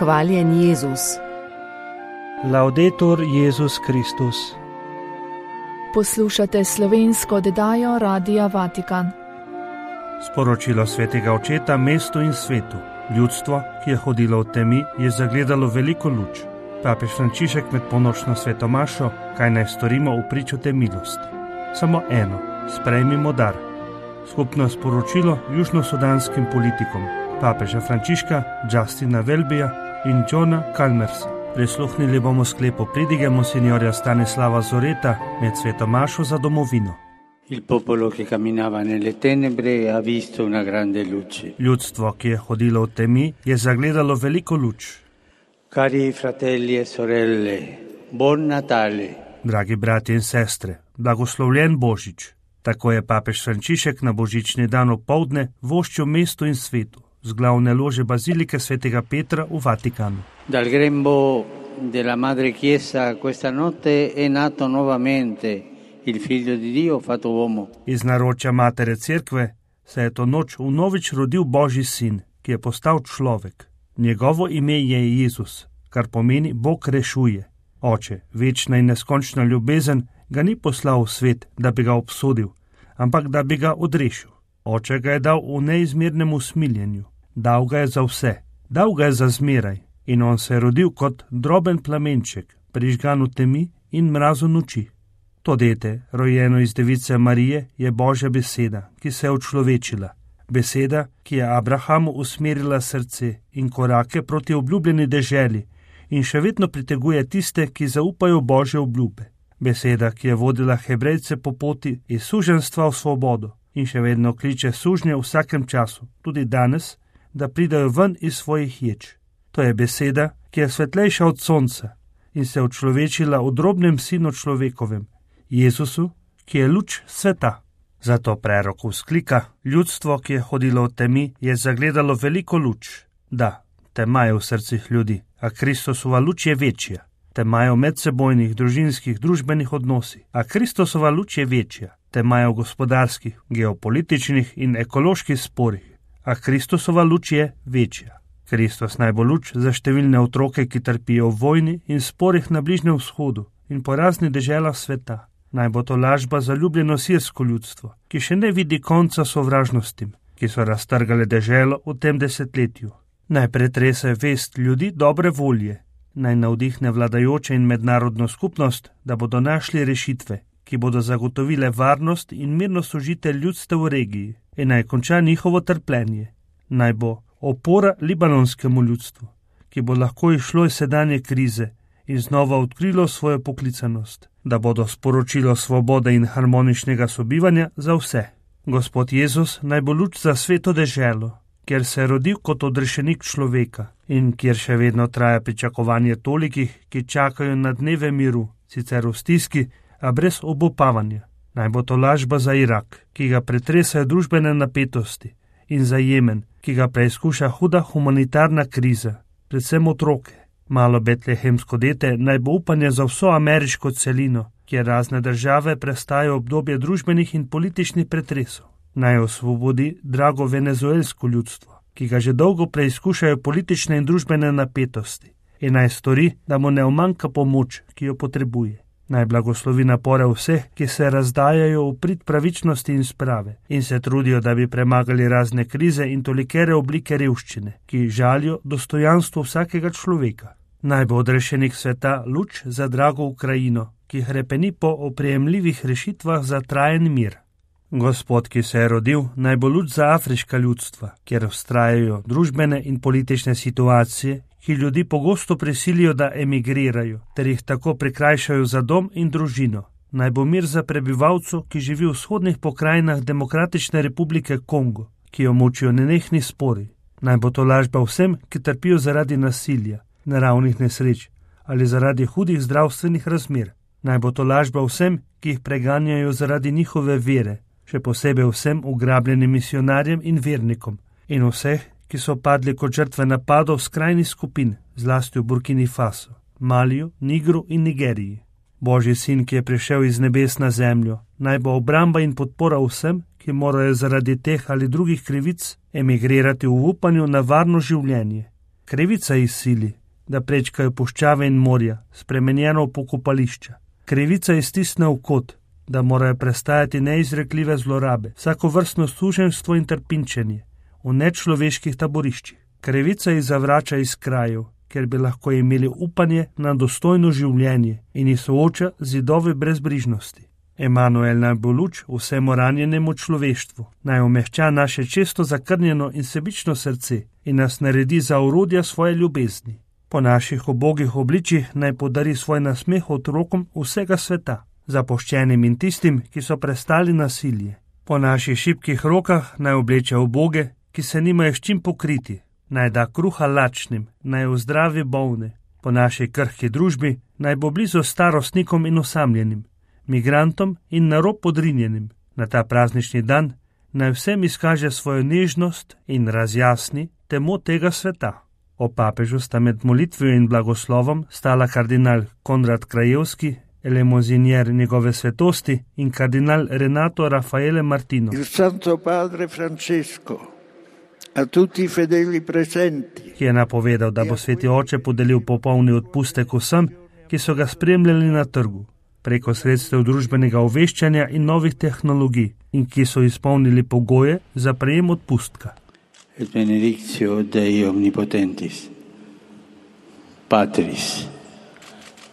Hvaljen Jezus. Laudetur Jezus Kristus. Poslušate slovensko oddajo Radia Vatikan. Sporočilo svetega očeta mestu in svetu. Ljudstvo, ki je hodilo v temi, je zagledalo veliko luč. Papež Frančišek med ponočno svetomašo, kaj naj storimo v pričo te milosti. Samo eno, sprejmimo dar. Skupno sporočilo južnosudanskim politikom, papeža Frančiška, Justina Welbyja in Johna Chalmersa. Prisluhnili bomo sklepu pridige monsignorja Stanislava Zoreta med svetomašo za domovino. Il popolo che camminava nelle tenebre ha visto una grande luce. Ljudstvo, ki je hodilo v temi, je zagledalo veliko luč. Cari fratelli e sorelle, buon Natale. Dragi bratje in sestre, blagoslovljen Božič. Tako je papež Frančišek na božični dan opoldne voščil mestu in svetu z glavne lože bazilike svetega Petra v Vatikanu. Dal grembo della Madre Chiesa questa notte è nato nuovamente il Figlio di Dio fatto uomo. Iz naročja Matere Cerkve se je to noč vnovič rodil Božji sin, ki je postal človek. Njegovo ime je Jezus, kar pomeni Bog rešuje. Oče, večna in neskončna ljubezen, ga ni poslal v svet, da bi ga obsodil, ampak da bi ga odrešil. Oče ga je dal v neizmernem usmiljenju. Dal ga je za vse, dal ga je za zmeraj in on se je rodil kot droben plamenček, prižgan v temi in mrazu noči. To dete, rojeno iz device Marije, je Božja beseda, ki se je učlovečila. Beseda, ki je Abrahamu usmerila srce in korake proti obljubljeni deželi in še vedno priteguje tiste, ki zaupajo Božje obljube. Beseda, ki je vodila Hebrejce po poti iz suženjstva v svobodo in še vedno kliče sužnje v vsakem času, tudi danes, da pridajo ven iz svojih ječ. To je beseda, ki je svetlejša od sonca in se učlovečila v drobnem sinu človekovem, Jezusu, ki je luč sveta. Zato prerok vzklika, ljudstvo, ki je hodilo v temi, je zagledalo veliko luč. Da, tema je v srcih ljudi, a Kristusova luč je večja. Tema je v medsebojnih, družinskih, družbenih odnosih, a Kristusova luč je večja. Tema je v gospodarskih, geopolitičnih in ekoloških sporih, a Kristusova luč je večja. Kristus naj bo luč za številne otroke, ki trpijo v vojni in sporih na Bližnjem vzhodu in po raznih deželah sveta. Naj bo to lažba za ljubljeno sirsko ljudstvo, ki še ne vidi konca sovražnostim, ki so raztrgale deželo v tem desetletju. Naj pretrese vest ljudi dobre volje, naj navdihne vladajoče in mednarodno skupnost, da bodo našli rešitve, ki bodo zagotovile varnost in mirno sožitje ljudstev v regiji in naj konča njihovo trpljenje. Naj bo opora libanonskemu ljudstvu, ki bo lahko išlo iz sedanje krize in znova odkrilo svojo poklicanost, da bodo sporočilo svobode in harmoničnega sobivanja za vse. Gospod Jezus naj bo luč za sveto deželo, kjer se je rodil kot odrešenik človeka in kjer še vedno traja pričakovanje tolikih, ki čakajo na dneve miru, sicer v stiski, a brez obupavanja. Naj bo to lažba za Irak, ki ga pretresajo družbene napetosti, in za Jemen, ki ga preizkuša huda humanitarna kriza, predvsem otroke. Malo betlehemsko dete naj bo upanje za vso ameriško celino, kjer razne države prestajajo obdobje družbenih in političnih pretresov. Naj osvobodi drago venezuelsko ljudstvo, ki ga že dolgo preizkušajo politične in družbene napetosti, in naj stori, da mu ne umanjka pomoč, ki jo potrebuje. Naj blagoslovi napore vseh, ki se razdajajo v prid pravičnosti in sprave in se trudijo, da bi premagali razne krize in tolikere oblike revščine, ki žalijo dostojanstvo vsakega človeka. Naj bo odrešenik sveta luč za drago Ukrajino, ki hrepeni po oprijemljivih rešitvah za trajen mir. Gospod, ki se je rodil, naj bo luč za afriška ljudstva, kjer vztrajajo družbene in politične situacije, ki ljudi pogosto prisilijo, da emigrirajo, ter jih tako prikrajšajo za dom in družino. Naj bo mir za prebivalcev, ki živi v vzhodnih pokrajinah Demokratične republike Kongo, ki jo mučijo nenehni spori. Naj bo to lažba vsem, ki trpijo zaradi nasilja, naravnih nesreč ali zaradi hudih zdravstvenih razmer. Naj bo to lažba vsem, ki jih preganjajo zaradi njihove vere, še posebej vsem ugrabljenim misionarjem in vernikom in vseh, ki so padli kot žrtve napadov skrajnih skupin, zlasti v Burkini Faso, Maliju, Nigru in Nigeriji. Božji sin, ki je prišel iz nebes na zemljo, naj bo obramba in podpora vsem, ki morajo zaradi teh ali drugih krivic emigrirati v upanju na varno življenje. Krivica jih sili, da prečkajo puščave in morja, spremenjeno v pokopališča. Krivica jih stisne v kot, da morajo prestajati neizrekljive zlorabe, vsakovrstno suženjstvo in trpinčenje v nečloveških taboriščih. Krivica jih zavrača iz krajev, ker bi lahko imeli upanje na dostojno življenje in jih sooča z zidovi brezbrižnosti. Emanuel naj bo luč vsemu ranjenemu človeštvu, naj omehča naše često zakrnjeno in sebično srce in nas naredi za orodja svoje ljubezni. Po naših ubogih obličjih naj podari svoj nasmeh otrokom vsega sveta, zapuščenim in tistim, ki so prestali nasilje. Po naših šibkih rokah naj obleče uboge, ki se nimajo s čim pokriti, naj da kruha lačnim, naj ozdravi bolne. Po naši krhki družbi naj bo blizu starostnikom in osamljenim, migrantom in na rob podrinjenim. Na ta praznični dan naj vsem izkaže svojo nežnost in razjasni temo tega sveta. O papežu sta med molitvijo in blagoslovom stala kardinal Konrad Krajewski, elemozinier njegove svetosti, in kardinal Renato Raffaele Martino. Il Santo Padre Francesco a tutti i fedeli presenti, ki je napovedal, da bo sveti oče podelil popolni odpustek vsem, ki so ga spremljali na trgu, preko sredstev družbenega obveščanja in novih tehnologij in ki so izpolnili pogoje za prejem odpustka. Et benedictio Dei omnipotentis, Patris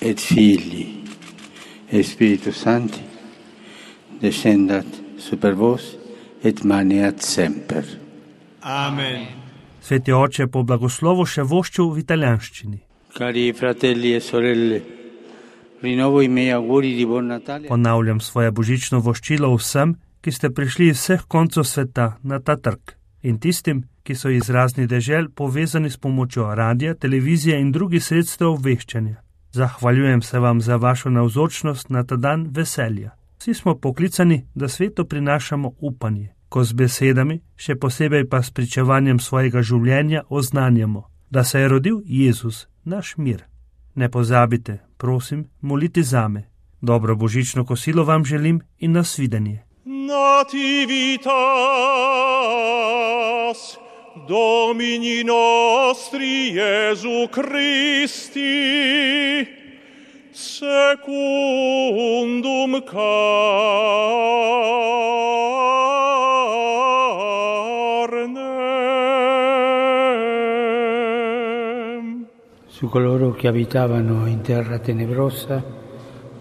et Filii et Spiritus Sancti, descendat super vos et maneat semper. Amen. Sveti oče po blagoslovu še voščil v italijanščini. Cari fratelli e sorelle, rinnovo i miei auguri di buon Natale. Ponavljam svoje božično voščilo vsem, ki ste prišli iz vseh koncev sveta na ta trg, in tistim, ki so iz raznih dežel povezani s pomočjo radija, televizije in drugih sredstev obveščanja. Zahvaljujem se vam za vašo navzočnost na ta dan veselja. Vsi smo poklicani, da svetu prinašamo upanje, ko z besedami, še posebej pa s pričevanjem svojega življenja oznanjamo, da se je rodil Jezus, naš mir. Ne pozabite, prosim, moliti zame. Dobro božično kosilo vam želim in nasvidenje. Nativitas Domini nostri Iesu Christi secundum carnem. Su coloro che abitavano in terra tenebrosa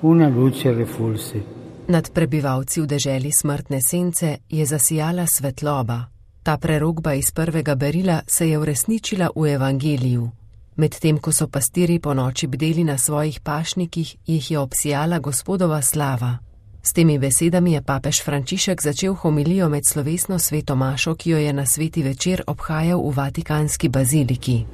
una luce refulse. Nad prebivalci v deželi smrtne sence je zasijala svetloba. Ta prerokba iz prvega berila se je uresničila v evangeliju. Medtem ko so pastiri po noči bdeli na svojih pašnikih, jih je obsijala Gospodova slava. S temi besedami je papež Frančišek začel homilijo med slovesno sveto mašo, ki jo je na sveti večer obhajal v Vatikanski baziliki.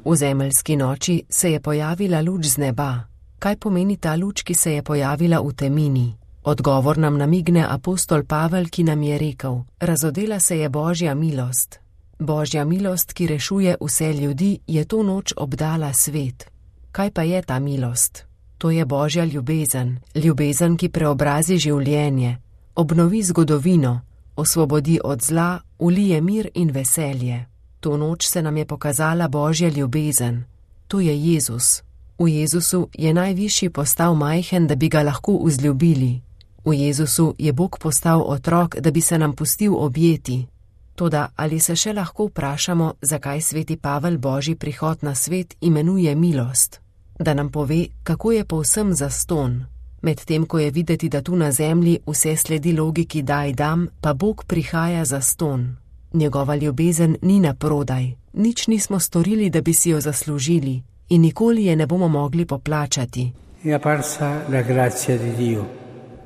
V zemeljski noči se je pojavila luč z neba. Kaj pomeni ta luč, ki se je pojavila v temini? Odgovor nam namigne apostol Pavel, ki nam je rekel: razodela se je Božja milost. Božja milost, ki rešuje vse ljudi, je to noč obdala svet. Kaj pa je ta milost? To je Božja ljubezen, ljubezen, ki preobrazi življenje, obnovi zgodovino, osvobodi od zla, ulije mir in veselje. To noč se nam je pokazala Božja ljubezen. To je Jezus. V Jezusu je najvišji postal majhen, da bi ga lahko vzljubili. V Jezusu je Bog postal otrok, da bi se nam pustil objeti. Toda ali se še lahko vprašamo, zakaj sveti Pavel Božji prihod na svet imenuje milost? Da nam pove, kako je povsem zastonj. Medtem ko je videti, da tu na zemlji vse sledi logiki daj dam, pa Bog prihaja zastonj. Njegova ljubezen ni na prodaj. Nič nismo storili, da bi si jo zaslužili, in nikoli je ne bomo mogli poplačati.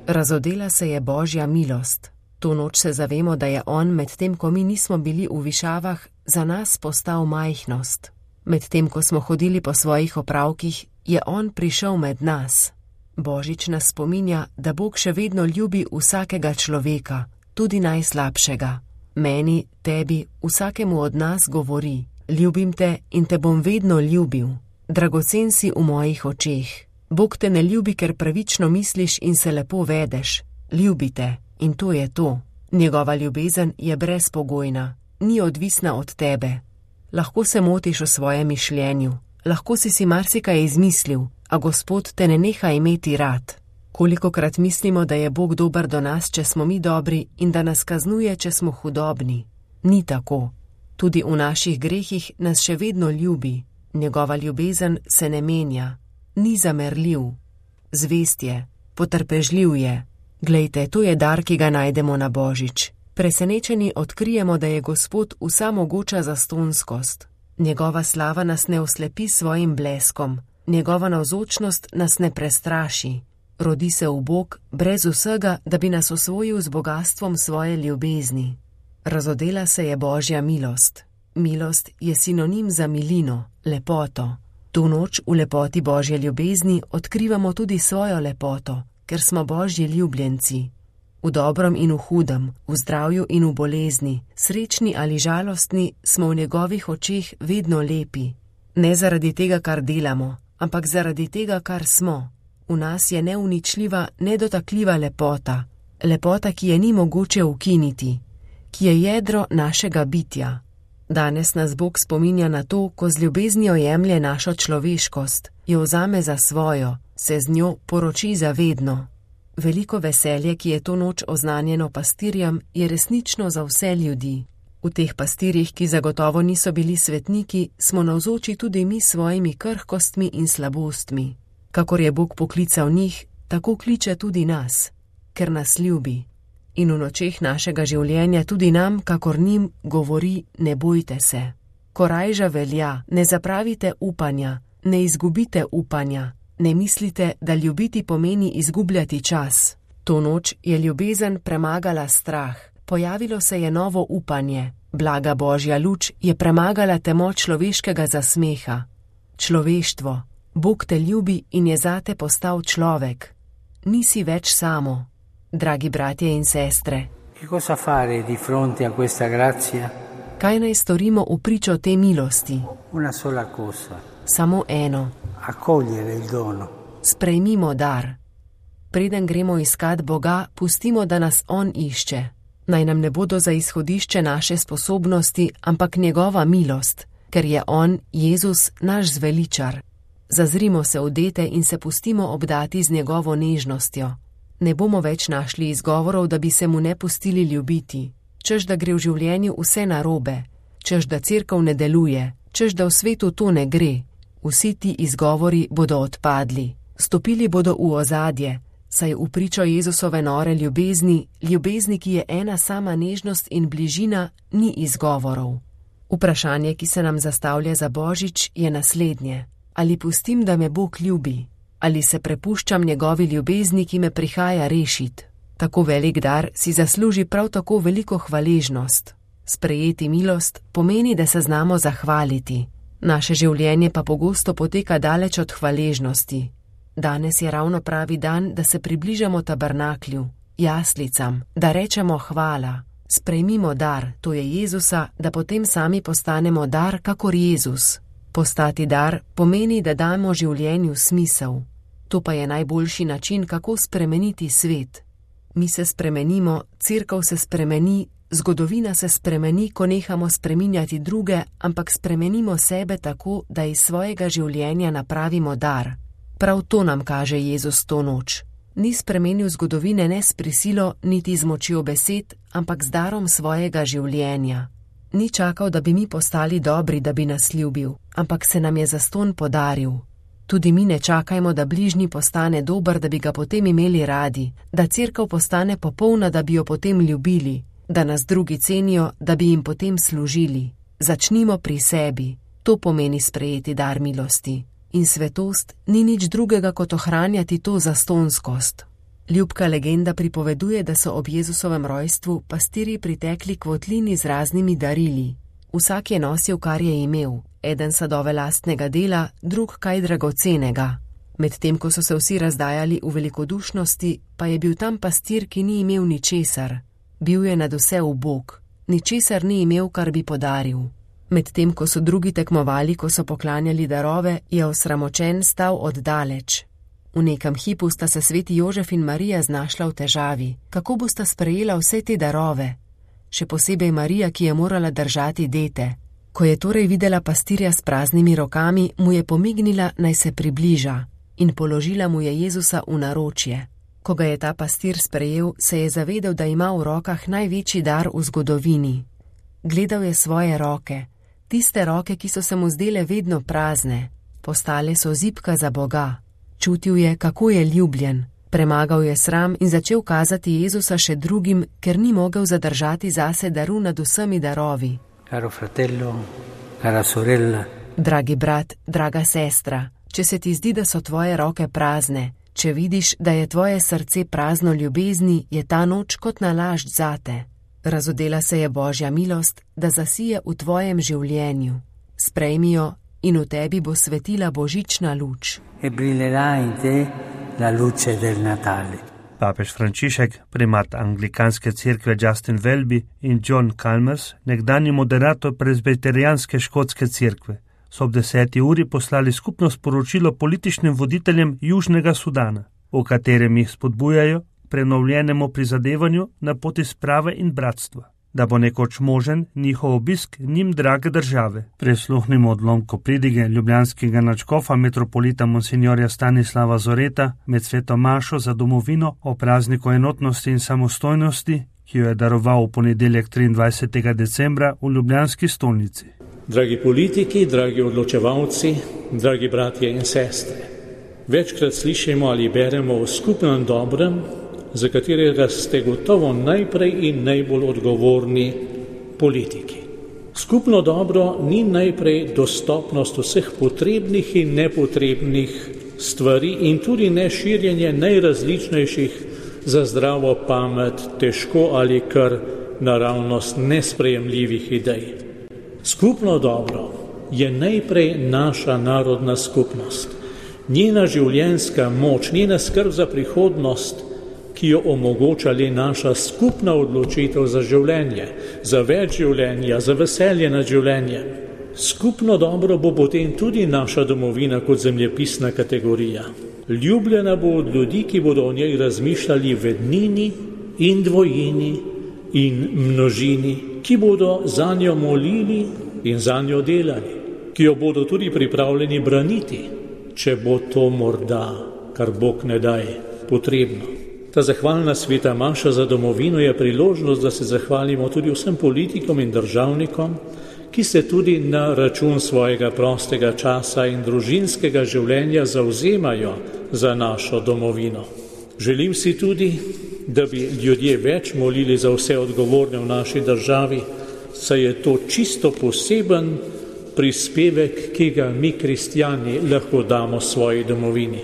Razodela se je Božja milost. To noč se zavemo, da je on, medtem ko mi nismo bili v višavah, za nas postal majhnost. Medtem ko smo hodili po svojih opravkih, je on prišel med nas. Božič nas spominja, da Bog še vedno ljubi vsakega človeka, tudi najslabšega. Meni, tebi, vsakemu od nas govori: ljubim te in te bom vedno ljubil. Dragocen si v mojih očeh. Bog te ne ljubi, ker pravično misliš in se lepo vedeš. Ljubi te in to je to. Njegova ljubezen je brezpogojna, ni odvisna od tebe. Lahko se motiš v svojem mišljenju, lahko si marsikaj izmislil, a Gospod te ne neha imeti rad. Kolikokrat mislimo, da je Bog dober do nas, če smo mi dobri, in da nas kaznuje, če smo hudobni. Ni tako. Tudi v naših grehih nas še vedno ljubi. Njegova ljubezen se ne menja. Ni zamerljiv. Zvest je, potrpežljiv je. Glejte, to je dar, ki ga najdemo na Božič. Presenečeni odkrijemo, da je Gospod vsamogoča zastonskost. Njegova slava nas ne oslepi svojim bleskom. Njegova navzočnost nas ne prestraši. Rodi se v Bog brez vsega, da bi nas osvojil z bogastvom svoje ljubezni. Razodela se je Božja milost. Milost je sinonim za milino, lepoto. To noč v lepoti Božje ljubezni odkrivamo tudi svojo lepoto, ker smo Božji ljubljenci. V dobrom in v hudem, v zdravju in v bolezni, srečni ali žalostni, smo v njegovih očeh vedno lepi. Ne zaradi tega, kar delamo, ampak zaradi tega, kar smo. V nas je neuničljiva, nedotakljiva lepota. Lepota, ki je ni mogoče ukiniti, ki je jedro našega bitja. Danes nas Bog spominja na to, ko z ljubeznijo jemlje našo človeškost, jo vzame za svojo, se z njo poroči zavedno. Veliko veselje, ki je to noč oznanjeno pastirjem, je resnično za vse ljudi. V teh pastirjih, ki zagotovo niso bili svetniki, smo navzoči tudi mi svojimi krhkostmi in slabostmi. Kakor je Bog poklical njih, tako kliče tudi nas, ker nas ljubi. In v nočeh našega življenja tudi nam, kakor njim, govori: ne bojte se. Korajža velja, ne zapravite upanja, ne izgubite upanja, ne mislite, da ljubiti pomeni izgubljati čas. To noč je ljubezen premagala strah, pojavilo se je novo upanje, blaga Božja luč je premagala temo človeškega zasmeha. Človeštvo, Bog te ljubi in je zate postal človek. Nisi več samo. Dragi bratje in sestre, kaj naj storimo v pričo te milosti? Samo eno. Sprejmimo dar. Preden gremo iskat Boga, pustimo, da nas On išče. Naj nam ne bodo za izhodišče naše sposobnosti, ampak njegova milost, ker je On, Jezus, naš zveličar. Zazrimo se v dete in se pustimo obdati z njegovo nežnostjo. Ne bomo več našli izgovorov, da bi se mu ne pustili ljubiti, češ da gre v življenju vse narobe, češ da cerkev ne deluje, češ da v svetu to ne gre. Vsi ti izgovori bodo odpadli, stopili bodo v ozadje, saj v pričo Jezusove nore ljubezni, ljubezni, ki je ena sama nežnost in bližina, ni izgovorov. Vprašanje, ki se nam zastavlja za Božič, je naslednje: ali pustim, da me Bog ljubi? Ali se prepuščam njegovi ljubezni, ki me prihaja rešit? Tako velik dar si zasluži prav tako veliko hvaležnost. Sprejeti milost pomeni, da se znamo zahvaliti. Naše življenje pa pogosto poteka daleč od hvaležnosti. Danes je ravno pravi dan, da se približamo tabernaklju, jaslicam, da rečemo hvala. Sprejmimo dar, to je Jezusa, da potem sami postanemo dar, kakor Jezus. Postati dar pomeni, da damo življenju smisel. To pa je najboljši način, kako spremeniti svet. Mi se spremenimo, cerkev se spremeni, zgodovina se spremeni, ko nehamo spreminjati druge, ampak spremenimo sebe tako, da iz svojega življenja napravimo dar. Prav to nam kaže Jezus to noč. Ni spremenil zgodovine ne s prisilo, niti z močjo besed, ampak z darom svojega življenja. Ni čakal, da bi mi postali dobri, da bi nas ljubil, ampak se nam je zastonj podaril. Tudi mi ne čakajmo, da bližnji postane dober, da bi ga potem imeli radi, da cerkev postane popolna, da bi jo potem ljubili, da nas drugi cenijo, da bi jim potem služili. Začnimo pri sebi, to pomeni sprejeti dar milosti. In svetost ni nič drugega, kot ohranjati to zastonskost. Ljubka legenda pripoveduje, da so ob Jezusovem rojstvu pastirji pritekli k votlini z raznimi darili. Vsak je nosil, kar je imel, eden sadove lastnega dela, drug kaj dragocenega. Medtem ko so se vsi razdajali v velikodušnosti, pa je bil tam pastir, ki ni imel ničesar. Bil je nadvse ubog, ničesar ni imel, kar bi podaril. Medtem ko so drugi tekmovali, ko so poklanjali darove, je osramočen stal oddaleč. V nekem hipu sta se sveti Jožef in Marija znašla v težavi, kako bosta sprejela vse te darove. Še posebej Marija, ki je morala držati dete. Ko je torej videla pastirja s praznimi rokami, mu je pomignila, naj se približa, in položila mu je Jezusa v naročje. Ko ga je ta pastir sprejel, se je zavedel, da ima v rokah največji dar v zgodovini. Gledal je svoje roke, tiste roke, ki so se mu zdele vedno prazne, postale so zibka za Boga. Čutil je, kako je ljubljen, premagal je sram in začel kazati Jezusa še drugim, ker ni mogel zadržati zase daru nad vsemi darovi. Caro fratello, cara sorella. Dragi brat, draga sestra, če se ti zdi, da so tvoje roke prazne, če vidiš, da je tvoje srce prazno ljubezni, je ta noč kot nalašč zate. Razodela se je Božja milost, da zasije v tvojem življenju. Sprejmi jo in v tebi bo svetila božična luč. E brillerà in te la luce del Natale. Papež Frančišek, primat anglikanske cerkve Justin Welby in John Chalmers, nekdanji moderator presbiterijanske škotske cerkve, so ob 10. uri poslali skupno sporočilo političnim voditeljem Južnega Sudana, v katerem jih spodbujajo prenovljenemu prizadevanju na poti sprave in bratstva, da bo nekoč možen njihov obisk njim drage države. Prisluhnimo odlomku pridige ljubljanskega nadškofa metropolita monsignorja Stanislava Zoreta med sveto mašo za domovino o prazniku enotnosti in samostojnosti, ki jo je daroval v ponedeljek 23. decembra v ljubljanski stolnici. Dragi politiki, dragi odločevalci, dragi bratje in sestre, večkrat slišimo ali beremo o skupnem dobrem, za katerega ste gotovo najprej in najbolj odgovorni politiki. Skupno dobro ni najprej dostopnost vseh potrebnih in nepotrebnih stvari in tudi ne širjenje najrazličnejših za zdravo pamet, težko ali kar naravnost nesprejemljivih idej. Skupno dobro je najprej naša narodna skupnost, njena življenjska moč, njena skrb za prihodnost, ki jo omogoča le naša skupna odločitev za življenje, za več življenja, za veselje nad življenjem. Skupno dobro bo potem tudi naša domovina kot zemljepisna kategorija. Ljubljena bo od ljudi, ki bodo o njej razmišljali v ednini in dvojini in množini, ki bodo zanjo molili in zanjo delali, ki jo bodo tudi pripravljeni braniti, če bo to morda, kar Bog ne daj, potrebno. Ta zahvalna sveta maša za domovino je priložnost, da se zahvalimo tudi vsem politikom in državnikom, ki se tudi na račun svojega prostega časa in družinskega življenja zavzemajo za našo domovino. Želim si tudi, da bi ljudje več molili za vse odgovorne v naši državi, saj je to čisto poseben prispevek, ki ga mi kristjani lahko damo svoji domovini.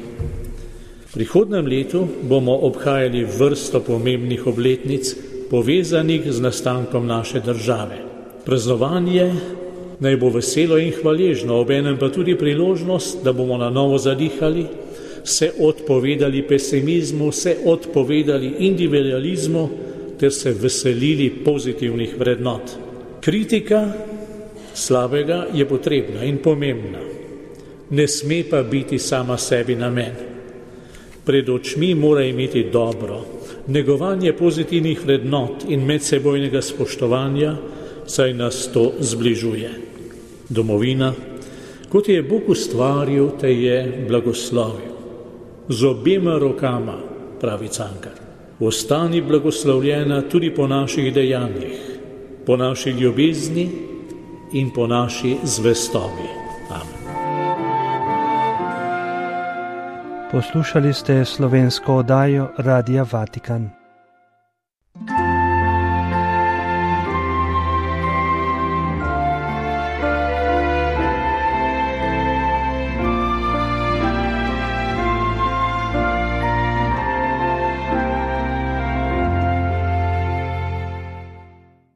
V prihodnem letu bomo obhajali vrsto pomembnih obletnic, povezanih z nastankom naše države. Praznovanje naj bo veselo in hvaležno, obenem pa tudi priložnost, da bomo na novo zadihali, se odpovedali pesimizmu, se odpovedali individualizmu ter se veselili pozitivnih vrednot. Kritika slabega je potrebna in pomembna, ne sme pa biti sama sebi namen. Pred očmi mora imeti dobro, negovanje pozitivnih vrednot in medsebojnega spoštovanja, saj nas to zbližuje. Domovina, kot je Bog ustvaril, te je blagoslovil. Z obema rokama, pravi Cankar. Ostani blagoslovljena tudi po naših dejanjih, po naši ljubezni in po naši zvestobi. Amen. Poslušali ste slovensko oddajo Radia Vatikan.